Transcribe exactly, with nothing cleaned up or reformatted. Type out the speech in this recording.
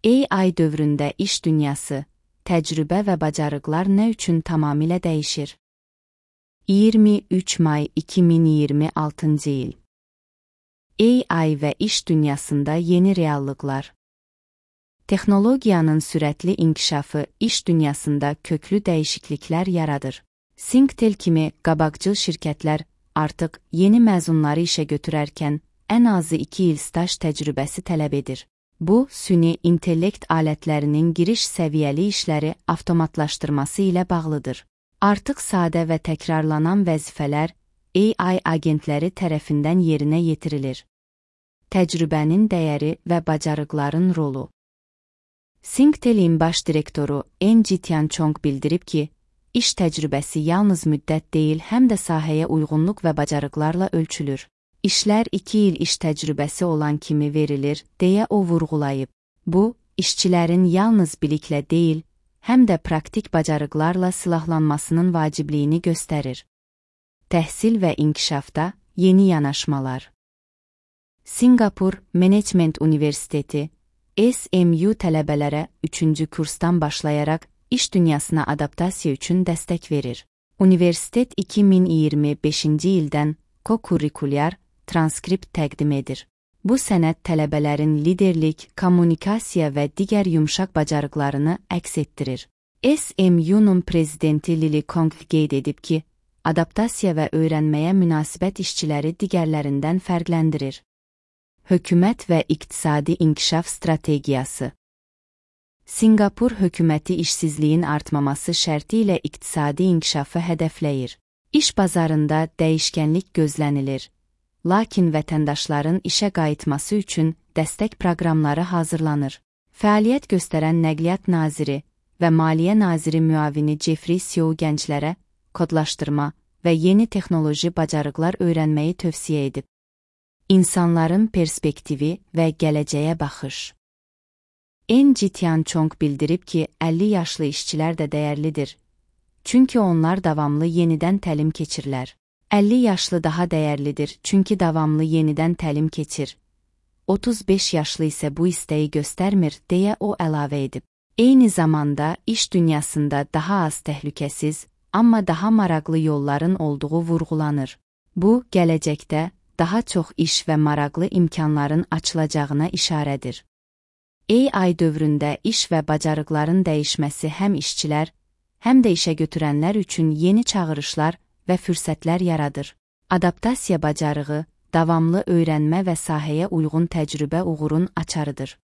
A I dövründə iş dünyası, təcrübə və bacarıqlar nə üçün tamamilə dəyişir? iyirmi üç may iki min iyirmi altıncı il. A I və iş dünyasında yeni reallıqlar. Texnologiyanın sürətli inkişafı iş dünyasında köklü dəyişikliklər yaradır. Singtel kimi qabaqcıl şirkətlər artıq yeni məzunları işə götürərkən ən azı iki il staj təcrübəsi tələb edir. Bu, süni intellekt alətlərinin giriş səviyyəli işləri avtomatlaşdırması ilə bağlıdır. Artıq sadə və təkrarlanan vəzifələr A I agentləri tərəfindən yerinə yetirilir. Təcrübənin dəyəri və bacarıqların rolu. Singtel'in baş direktoru Angie Tianchong bildirib ki, iş təcrübəsi yalnız müddət deyil, həm də sahəyə uyğunluq və bacarıqlarla ölçülür. İşlər iki il iş təcrübəsi olan kimi verilir, deyə o vurğulayıb. Bu, işçilərin yalnız biliklə deyil, həm də praktik bacarıqlarla silahlanmasının vacibliyini göstərir. Təhsil və inkişafda yeni yanaşmalar. Singapur Management Universiteti S M U tələbələrə üçüncü kursdan başlayaraq iş dünyasına adaptasiya üçün dəstək verir. Universitet iki min iyirmi beşinci ildən ko-kurrikulyar transkript təqdim edir. Bu sənəd tələbələrin liderlik, kommunikasiya və digər yumşaq bacarıqlarını əks etdirir. S M U'nun prezidenti Lily Kong qeyd edib ki, adaptasiya və öyrənməyə münasibət işçiləri digərlərindən fərqləndirir. Hökumət və iqtisadi inkişaf strategiyası. Singapur hökuməti işsizliyin artmaması şərti ilə iqtisadi inkişafı hədəfləyir. İş bazarında dəyişkənlik gözlənilir, lakin vətəndaşların işə qayıtması üçün dəstək proqramları hazırlanır. Fəaliyyət göstərən Nəqliyyat naziri və Maliyyə naziri müavini Jeffrey Seo gənclərə kodlaşdırma və yeni texnoloji bacarıqlar öyrənməyi tövsiyə edib. İnsanların perspektivi və gələcəyə baxış. Angie Tianchong bildirib ki, əlli yaşlı işçilər də dəyərlidir, çünki onlar davamlı yenidən təlim keçirlər. əlli yaşlı daha dəyərlidir, çünki davamlı yenidən təlim keçir. otuz beş yaşlı isə bu istəyi göstərmir, deyə o əlavə edib. Eyni zamanda iş dünyasında daha az təhlükəsiz, amma daha maraqlı yolların olduğu vurğulanır. Bu, gələcəkdə daha çox iş və maraqlı imkanların açılacağına işarədir. A I dövründə iş və bacarıqların dəyişməsi həm işçilər, həm də işə götürənlər üçün yeni çağırışlar və fürsətlər yaradır. Adaptasiya bacarığı, davamlı öyrənmə və sahəyə uyğun təcrübə uğurun açarıdır.